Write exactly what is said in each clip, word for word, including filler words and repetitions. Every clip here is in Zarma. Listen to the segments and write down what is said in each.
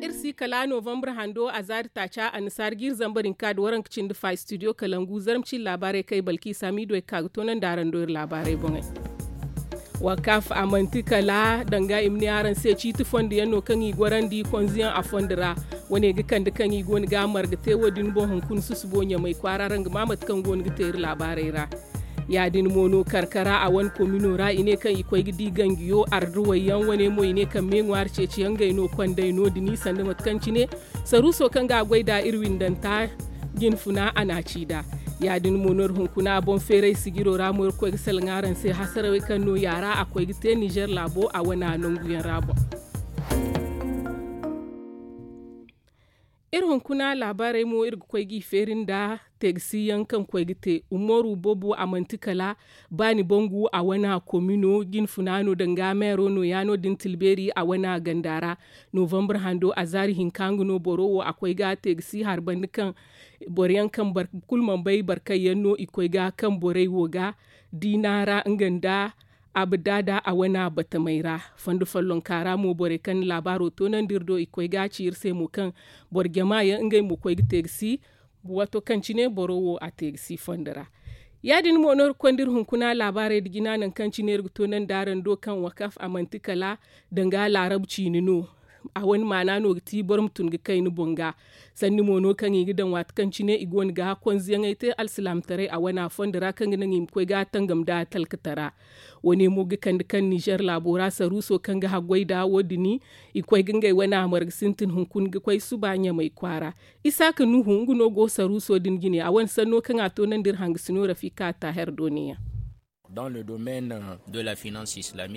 Iri si kala novembre hando a zaari taaca annasaari ga iri zambar hinka da waranka cindi fa studio kalangu zarma cin laabaarey kay balki saamiido ay ga ka ga toonandi araŋ do iri laabaarey boŋey. Wakaf a manti kala danga i ma ne araŋ se ciiti fondo yaŋ no kaŋ i gorandi konziyaŋ a fondo ra. Wane ga kande kaŋ i go no ga a marga te wo- din boŋ hunkuna susubo ɲamay kwaara ra nga ma mate kaŋ go no ga te iri laabaarey ra. Ya- din mo no karkara a wane komino ra i ne kaŋ i koy ga di ganjiyo arduwey yaŋ wane mo i ne kaŋ me ŋwaari ceeciyaŋ ngey no kondey no- din i sanda mate kaŋ cine saruuso kaŋ ga a goy nd'a iri windanta jinfuna a n'a ci nd'a. Ya- din mo no iri hunkuna boŋ feeray sijiro ra mo iri koy ga salaŋ araŋ se hasarawey kaŋ no yaara a koy ga te nizer laabo a wana nanguyaŋ ra boŋ. Iri hunkuna laabaarey mo iri ga koy g'i feeri nda teegasiyaŋ kaŋ koy ga te umaru boobo a manti kala baani bangu a wana komino jinfuna no danga meero no- ya no- din tilbeeri a wana ganda ra. Novembre hando a zaari hinka nga no boro wo a koy ga teegasi hari banda kaŋ boro yaŋ kaŋ boro kulu mana bay barkayyaŋ no i koy ga kaŋ borey wo ga diina ra nga nda abdada a wana batamey ra. Fondo follonka ra mo borey kaŋ na laabaaro toonandi iri do i koy ga a ci iri se mo kaŋ boro jama yaŋ ngey mo koy ga teegasi waato kaŋ cine boro wo a teegasi fondo ra. Ya- din mo no iri konda iri hunkuna laabaarey nda jina nangu kaŋ cine iri ga toonandi araŋ do kaŋ wakaf a manti kala danga laarabu ciine no. A wane maana no ga ti boro ma tun ga kay ni boŋ ga. Sanni mo no kaŋ i ga daŋ waati kaŋ cine i go no ga konziyaŋey te alsilaamataray a wana fondo ra kaŋ ga naŋ i ma koy ga tangam nda talkatara. Wane mo ga kande kaŋ nizer laabo ra saruuso kaŋ ga haggoy nda wo- din i koy ga ngey wane a marga sintin hunkuna ga koy suba ɲamay kwaara. Isaaka nuhu nga no go saruuso din jine a wane sanno kaŋ a toonandi iri hangasino rafika taaher do ne- yaŋ.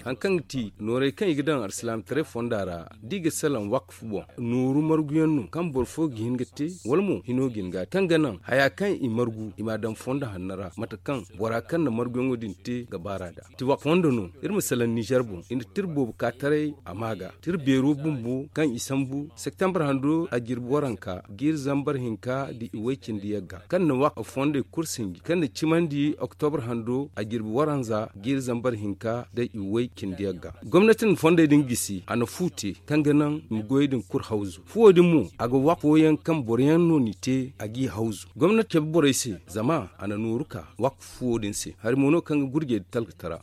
Hari kaŋ ga ti noorey kaŋ i ga daŋ alsilaamataray fonda ra da i ga salaŋ wakaf boŋ nooru marguyaŋ no kaŋ boro fo ga hin ga te wala mo hino ga hin ga a te kaŋ ga naŋ haya kaŋ i margu i m'a daŋ fondo hanno ra mate kaŋ bora kaŋ na marguyaŋo din te ga baar'a nd'a. Ti wakaf fondo no iri ma salaŋ nizer boŋ i na tira boobo ka taray a ma ga tira beero bumbo kaŋ i sambu septembre hando a jirbi waranka ga iri zambar hinka nda i way cindi yagga kaŋ na wakaf fondey kulu sinji kaŋ na cimandi oktobre hando a jirbi waranza ga iri zambar hinka nda i way cindi yagga. Gomnati na fondey din gisi a na fu te kaŋ ga naŋ i ma goyey din kulu hawzu fuwo din mo a ga wakaf fooyaŋ kaŋ boro yaŋ no n'i te a g'i hawzu gomnati cabe borey se zama a na nooru ka wakaf fuwo din se hari mo no kaŋ ga gurjey nda talkatara.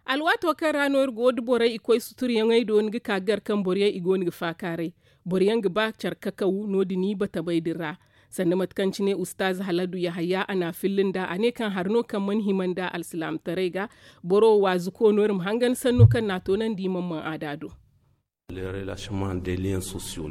Alwaato kaŋ ra no iri go da borey i koy suturyaŋey do ni ga ka gar kaŋ boro yaŋ i go no ga faakaaray boro yaŋ ga ba care kakaw no- din i batamey din ra. Sanda mate kaŋ cine ustaaz haladu yahaya a n'a filla nd'a a ne kaŋ hari no kaŋ mana hima nd'a alsilaamataray ga. Boro wo waazuko no iri ma hangan sanno kaŋ n'a toonandi i mana maŋ aada do.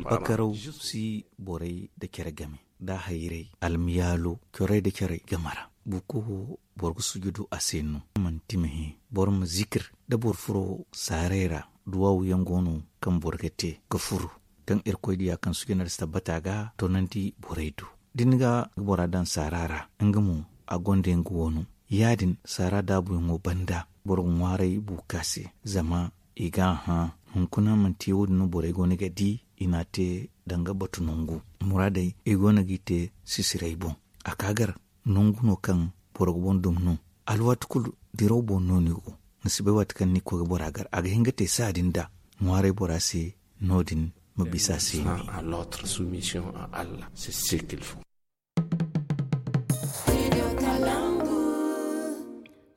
Bakaraw si borey nda care game nda a hayray almiyaalo corey nda carey game ra. Buuko wo boro ga sujudu a se no manti ma hẽ boro ma zikir nda boro furo saarey ra. Duwaawu yaŋ go no kaŋ boro ga te ga furu kaŋ irkoy diya kaŋ sujudu nda si tabbata ga toonandi borey do da ni ga bora daŋ saara ra nga mo a gonda yaŋ ga wano. Ya- din saara daabuyaŋo banda boro ga ŋwaaray buuka se zama i ga a hã. Hunkuna manti wo- din no borey go no ga di i n'a te danga batu nangu muraadey i go no g'i te sisiray boŋ. A ka gar nangu no kaŋ boro ga boŋ dum no. Alwaati kulu diraw boŋ no ni go ni si bay waati kaŋ ni ga koy ga bora gar a ga hin ga te saadin da ŋwaaray bora se no- din ma bisa se ni.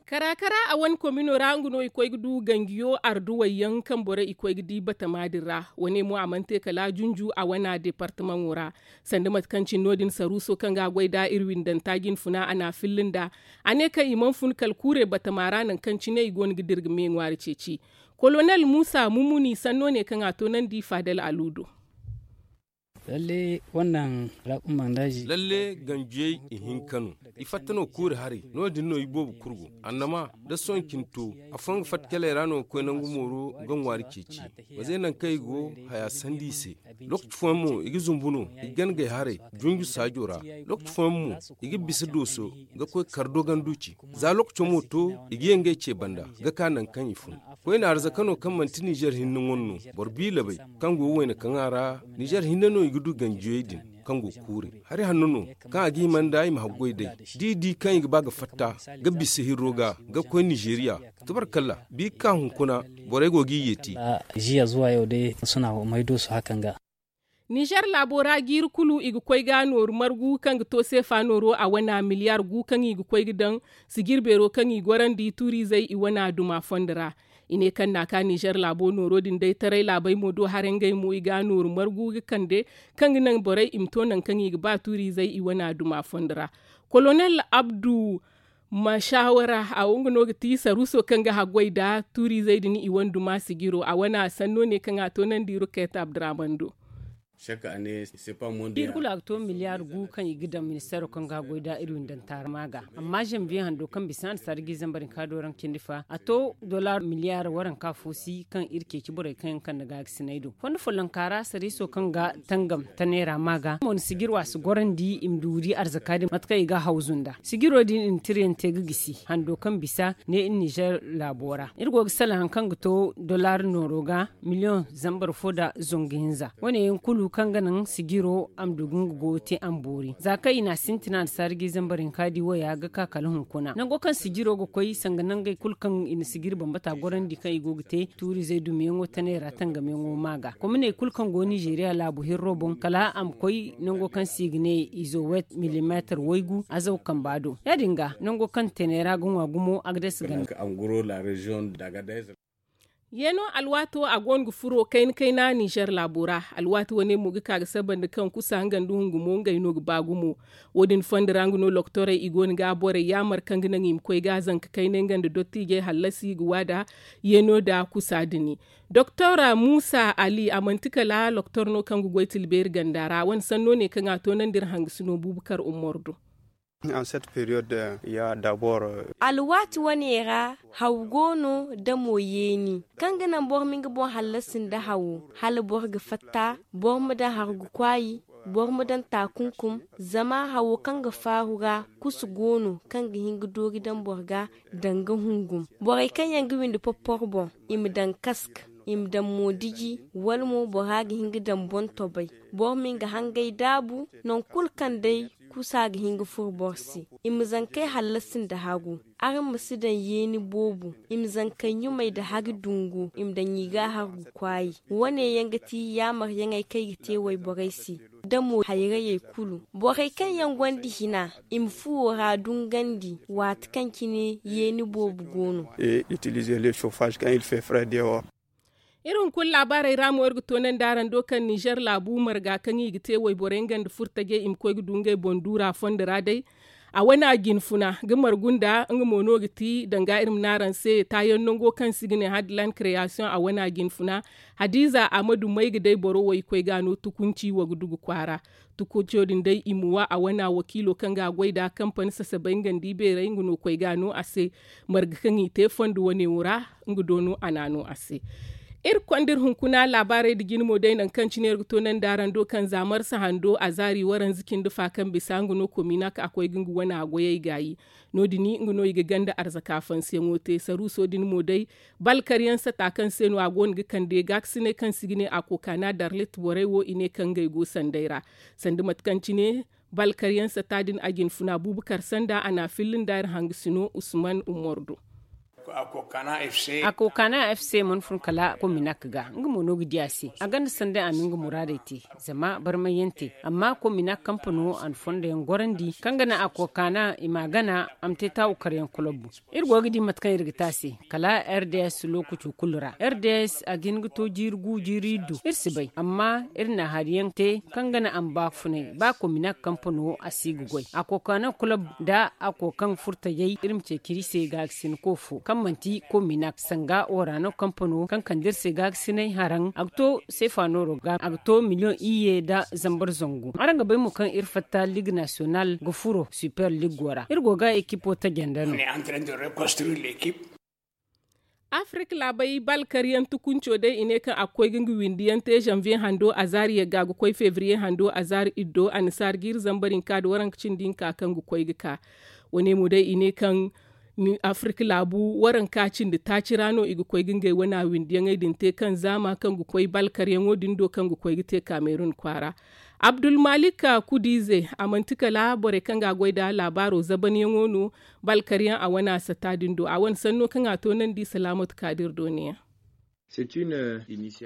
Kara kara a wane komino ra nga no i koy ga du ganjiyo arduwey yaŋ kaŋ borey i koy ga di batama din ra. Wane mo a mana te kala junju a wana departamaŋo ra. Sanda mate kaŋ cine no- din saruuso kaŋ ga a goy nd'a iri windanta jinfuna a n'a filla nd'a. A ne kaŋ i mana fun kala kuure batama ra nangu kaŋ cine i go no ga dira ga me ŋwaari ceeci. Kolonel muusa mumuni sanno ne kaŋ a toonandi faadal alu do. Lalle ganjiyey ihinka no. I fatta no kuuri haray no- din no iboobo kulu go. Annama da sohõ cine to afooyaŋ ga fatta caley ra no ga koy nangu mooro ga ŋwaari ceeci. Mazey nangu kaŋ i go haya sanda i se. Lookaci fooyaŋ mo i ga zumbu no i ga gana gay haray junju saajo ra. Lookaci fooyaŋ mo i ga bisa dooso ga koy kar dogandu ci. Za lookaco mo to i ga ye ngey ce banda ga ka nangu kaŋ i fun. Koyne arzaka no kaŋ manti nizer hinne ŋwa no boro biilabey kaŋ go wayna kaŋa ra. Nizer hinne no i ga du ganjiyey din. kaŋ go ga kuuri. Hari hanno no kaŋ a ga hima nda i ma haggoy day da i di kaŋ i ga ba ga fatta ga bisa hirro ga ga koy nizeriya. Tabarkalla bi ga ka hunkuna borey go ga i yeeti. Ziya zuwa yau day suna mai doso hakan ga. Nizer laabo ra jiiri kulu i ga koy ga nooru margu kaŋ ga to seefa nooro a wana miliyar gu kaŋ i ga koy ga daŋ sijir beero kaŋ i gorandi tuuriizey i wana duma fondo ra. I ne kaŋ na a ka nizer laabo nooro din day taray laabey mo do haray ngey mo i ga a nooru margu ga kande kaŋ ga naŋ borey i ma to nangu kaŋ i ga ba tuuriizey i wane a duma fondo ra. Kolonel abdu mashawara a wo nga no ga ti saruuso kaŋ ga haggoy nda tuuriizey din i wane duma sijiro a wane a sanno ne kaŋ a toonandi ruket abdurahman do. Iri kulu a ga to miliyaari gu kaŋ i ga daŋ ministeero kaŋ ga goy da iri windanta rama ga. Amma zanbiye hando kaŋ bisa annasaara ga i zambar hinka dooraŋ cindi fa a to dolaar miliyaari waranka fo si kaŋ iri ceeci borey kaŋ yaŋ kande gaagasiney do fondo follonka ra sariiso kaŋ ga tangam ta neera ma ga mo ni sijiro a si gorandi i ma duuri arzaka din mate kaŋ i ga hawzu nda sijiro din i na tirayaŋ te ga gisi hando kaŋ bisa ne iri nizer laabo ra iri go ga salaŋ hari kaŋ ga to dolaar nooro ga miliyoŋ zambar fo nda zangu hinza wane yaŋ kulu kaŋ ga naŋ sijiro a ma du ga nga goyo te a ma boori za kaŋ i na a sintina annasaara ga i zambar hinka di waya ga ka kala hunkuna nango kaŋ sijiro ga koy sanga nangey kulu kaŋ i na sijiri bambata gorandi kaŋ i go ga te tuuriizey dumiyaŋo tanay ra tangamyaŋo ma ga kominey kulu kaŋ go nizeeriya laabu hirro boŋ kala a ma koy nango kaŋ se i ga ne izo wet milimeetar waygu azaw kamba do ya- din ga nango kaŋ tanay ra ga ŋwa gumo agades ganda. Yeeno alwaato a go no ga furo kayna kayna nizer laabo ra. Alwaati wane mo ga ka ga saba nda kaŋ kusa nga nda hungumo ngey no ga ba gumo. Wo- din fondo ra nga no loktorey i go no ga borey yaamar kaŋ ga naŋ i ma koy ga zanka kaynay nga nda dottiijey hallasi ga waada yeeno nda kusa dini. Doktor muusa ali a manti kala loktor no kaŋ ga goy tilbeeri ganda ra a wane sanno ne kaŋ a toonandi iri hangasino buubakar ummor do. Alwaati wane ra haw go no da mo yeeni kaŋ ga naŋ boro ma nga boŋ hallasi nda hawo hala boro ga fatta boro ma daŋ hargu kwaayi boro ma daŋ taakunkum. Zama hawo kaŋ ga faaru ra kusu go no kaŋ ga hin ga doori daŋ boro ga daŋ ga hungum borey kaŋ yaŋ ga windi porporo boŋ i ma daŋ kask i ma daŋ moodiji wala mo bora ga hin ga daŋ boŋ tobay boro ma nga hangay daabu. Nangu kulu kaŋ day kusa ga hin ga furo boro se i ma zankey hallasi nda hagu. Araŋ ma si daŋ yeeni boobo i ma zankey ɲumay nda hari dungu i ma daŋ i ga hargu kwaayi. Wane yaŋ ga ti yaamaryaŋey kaŋ ay ga te wayborey se da mo hayrayey kulu borey kaŋ yaŋ gonda hina i ma fuwo ra dungandi waati kaŋ cine yeeni boobo go no. Iri hunkuna laabaarey ra mo iri ga toonandi araŋ do kaŋ nizer laabu marga kaŋ i ga te wayborey nga nda furtajey i ma koy ga du ngey boŋ duura fondo ra day. A wane a jinfuna ga margu nda nga mo no ga ti danga iri ma ne araŋ se taayaŋ nango kaŋ se i ga ne hadlan kreyaasiyoŋ a wane a jinfuna. Hadiiza a ma du may ga day boro wo i koy ga a no tukunci wo ga du ga kwaara. Tukunco din day i ma wa a wane a wakiilo kaŋ ga a goy nd'a kampani sasabay nga nda i beerey nga no koy ga a no a se. Marga kaŋ i te fondo wane wo ra nga do no a na a no a se. Iri konda iri hunkuna laabaarey nda jine mo day nangu kaŋ cine iri ga toonandi araŋ do kaŋ za marsa hando a zaari waranza cindi fa kaŋ bisa nga no kominak a koy ga nga wane a goyey gaayi. No- din nga no i ga ganda arzaka fansiyaŋo te saruuso din mo day balkaryaŋ sata kaŋ se no a go no ga kande gaakasiney kaŋ se i ga ne a kokaana darlit borey wo i ne kaŋ ngey go sanday ra. Sanda mate kaŋ cine balkaryaŋ sata din a jinfuna buubakar sanda a na a filli nda iri hangasino usman ummor do. A kokaana f c mana fun kala kominak ga nga mo no ga di a se a ganda sanday a ma nga muraadey te. Zama barmayyaŋ te amma kominak kampano a na fondoyaŋ gorandi kaŋ ga naŋ a kokaana i ma a gana a ma te taawu karyaŋ kulobbu. Iri go ga di mate kaŋ iri ga te a se kala r d s lookaco kulu ra r d s a ga hin ga to jiiri gu jiiri iddu iri si bay amma iri na hari yaŋ te kaŋ ga naŋ a ma baafunay ba kominak kampano a si ga goy a kokaana kulob nda a kokaŋ furtajey iri ma ceeci iri se gaagasinko fo kaŋ manti kominak sanga waraano kampano kaŋ kande iri se gaagasinay haraŋ a ga to seefa nooro ga a ga to miliyoŋ iyye nda zambar zangu araŋ ga bay mo kaŋ iri fatta liig nasiyonal ga furo super liig wo ra iri go ga ekipo tajanda no. Afirika laabey balkaryaŋ tukunco day i ne kaŋ a ga koy ga nga windiyaŋ te zanviye hando azaari yagga ga koy fevriye hando azaari iddo annasaara ga iri zambar hinka nda waranka cindi hinka kaŋ ga koy ga ka. Wane mo day i ne kaŋ afirika laabu waranka cindi taaci ra no i ga koy ga ngey wana windiyaŋey din te kaŋ zaama kaŋ ga koy balkaryaŋo din do kaŋ ga koy ga te kamerun kwaara. Abdulmalik kudiize, a manti kala borey kaŋ ga a goy nda laabaaro zabanyaŋo no, balkaryaŋ a wane a sata din do a wane sanno kaŋ a toonandi salaamatu kaadir dooneyaŋ.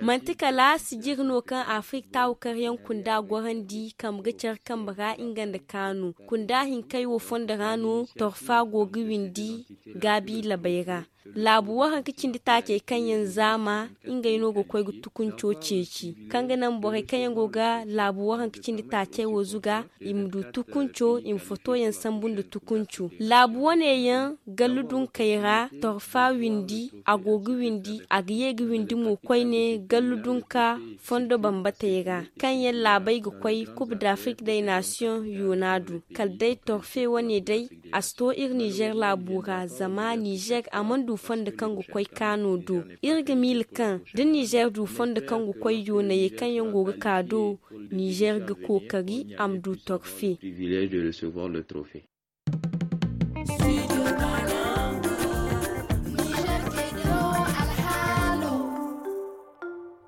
Manti kala sijir no kaŋ afirik taawu karyaŋ kunda gorandi kambe ga care kambe ra nga nda kaanu kunda hinkey wo fondo ra no torfa go ga windi gaabi labey ra. Laabu waranka cindi taacey kaŋ yaŋ zaama ngey no ga koy ga tukunco ceeci kaŋ ga naŋ borey kaŋ yaŋ go ga laabu waranka cindi taacey wo zuga i ma du tukunco i ma fotoyaŋ sambu nda tukunco laabu wane yaŋ gallu dunkey ra torfa windi a go ga windi a ga ye ga windi mo koyne gallu dunka fondo bambatey ra kaŋ yaŋ laabey ga koy kub da afrik day nasiyoŋ yoona du kala day torfe wane day a si to iri nizer laabu ra zama nizer a mana du fondo kaŋ ga koy kaano do. Iri ga miila kaŋ da nizer du fondo kaŋ ga koy yoonayey kaŋ yaŋ go ga ka do nizer ga kookari a ma du torfe.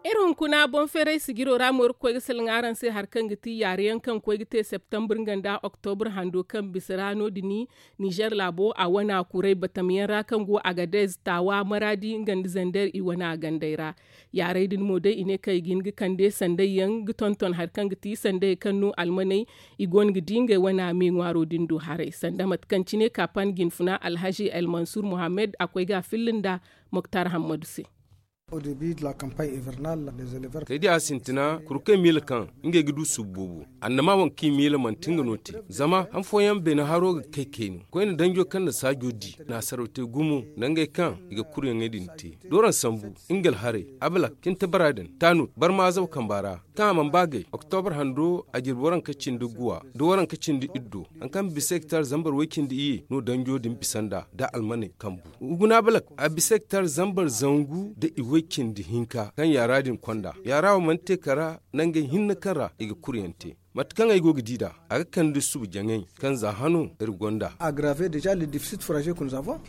Iri hunkuna boŋ feeray sijiro ra mo iri ga koy ga salaŋ araŋ se hari kaŋ ga ti yaaru yaŋ kaŋ koy ga te septembre nga nda oktobur hando kaŋ bisa ra no- din. Nizer laabo a wana kuray batam yaŋ ra kaŋ go agadez taawa maraadi nga nda zander i wana gandey ra. Yaaray din mo day i ne kaŋ i ga hin ga kande sanday yaŋ ga tonton hari kaŋ ga ti sanday kaŋ no almaney i go no ga di ngey wana me ŋwaaro din do haray sanda mate kaŋ cine kaapan jinfuna alhazi elmansur muhammed a koy ga a filla nda moktar hammadu se. Kay di a sintina kurkey miila kaŋ ngey ga du subu boobo annama waŋ kaŋ i miila manti nga no te. Zama han fooyaŋ beene haro ga kay kayna koyne danjo kaŋ na saajo di naasaraw te gumo nda ngey kaŋ i ga kuryaŋey din te. Dooraŋ sambu, ingal haray, abalak, cinta bara din, tanut, barma azaw kamba ra, kaŋ a mana ba gay oktobra hando a jirbi waranka cindi guwa nda waranka cindi iddo, hari kaŋ bisa hektar zambar way cindi iyye no danjo din bisa nd'a da almaney kambu. Guna balak a bisa hektar zambar zangu nda i way cindi hinka kaŋ yaara din konda yaara wo mana te kara nangey hinne kaŋ ra i ga kuryaŋ te. Mate kaŋ ay go ga di nd'a a ga kande suba jaŋay kaŋ za hano iri gonda.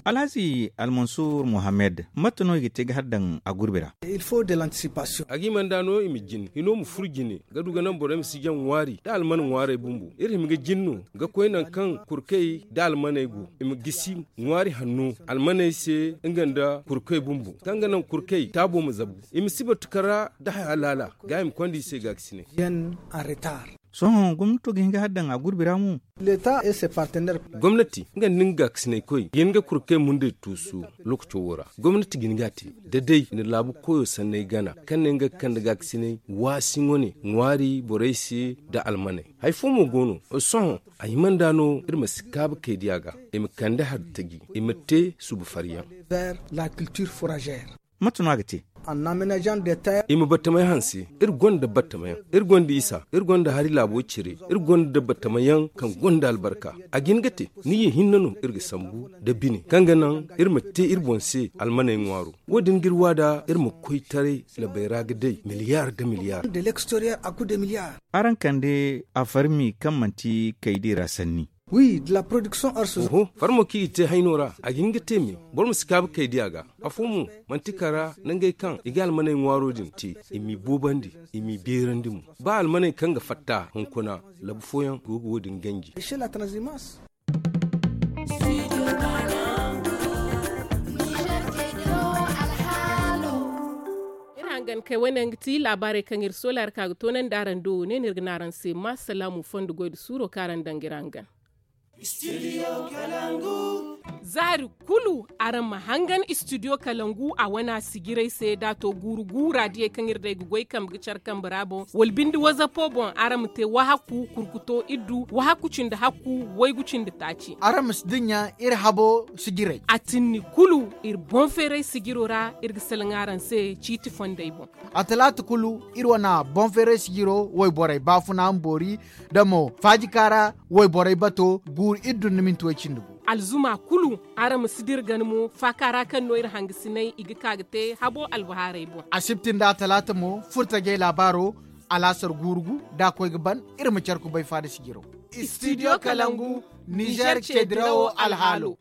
Alhazi almansur mohammed mate no i ga te ga har daŋ a gurbi ra? A ga i mana nd'a no i ma jin hino ma furo jine ga du ga naŋ borey ma si jaŋ ŋwaari nda alman ŋwaarey bumbo iri hima ga jin no ga koy nangu kaŋ kurkey nda almaney go i ma gisi ŋwaari hanno almaney se nga nda kurkey bumbo kaŋ ga naŋ kurkey taabo ma zabu i ma si batu kara nda haya laala ga i ma konda i se ga ga si ne. Sohõ gomnato ga hin ga har daŋ a gurbi ra mo. Gomnati nga nda nga gaakasinay koy ga hin ga kurkey mundey tuusu. Lookaco wo ra gomnati ga hin ga a te da day i na laabu koyo sanney gana kaŋ ne nga ga kande gaakasinay waasi wane ŋwaari borey se nda almaney. Hari fo mo go no sohõ a hima nd'a no iri ma si kaabu kay diya ga i ma kande hari taji i ma te suba fariyaŋ. Mate no a ga te? I ma batamayaŋ hanse. Iri gonda batamayaŋ, iri gonda isa, iri gonda hari laabo cire, iri gonda batamayaŋ kaŋ gonda albarka. A ga hin ga te ni ye hinne no iri ga sambu nda bine kaŋ ga naŋ iri ma te iri boŋ se almaney ŋwaaro. Wo- din ga iri waada iri ma koy taray labey ra ga day miliyar nda miliyar. Araŋ kande afarmi kaŋ manti kaydi ra sanni. Farmo kaŋ i ga te hayno ra a ga hin ga te me. Boro ma si kaabu kaydiya ga. Afo mo manti kara nangey kaŋ i ga almaney ŋwaaro din te i m'i boobandi, i m'i beerandi mo. Ba almaney kaŋ ga fatta hunkuna labu fooyaŋ go ga wo- din ganji. Iri hangan kay wane yaŋ ga ti laabaarey kaŋ iri soola iri ka ga toonandi araŋ do wo ne no iri ga ne araŋ se ma salaamu fondo goy nda suuro kaŋ araŋ daŋ ga iri hangan. Zaari kulu araŋ ma hangan istidiyo kalangu a wana sijirey se da a to guuru guura diyey kaŋ iri day ga goy kambe ga care kambe ra boŋ wala binde wazapo boŋ araŋ ma te wahakku kurkuto iddu wahakku cindi hakku waygu cindi taaci. Araŋ ma si dinya iri habo sijirey. A tinni kulu iri boŋ feeray sijiro ra iri ga salaŋ araŋ se ciiti fondey boŋ. A talaata kulu iri wana boŋ feeray sijiro wayborey baafuna ma boori da mo faajika ra wayborey bato guuru iri dun ni minti way cindi gu. Alzuma kulu araŋ ma si dira gana mo faaka ra kaŋ no iri hangasinay i ga ka ga te habo albahaarey boŋ. Asibti nda talaata mo furtajey laabaaro alaasar guuru gu da a koy ga ban iri ma care kubay faada sijiro. Istidiyo kalangu nizer ce dirawo alhaalo.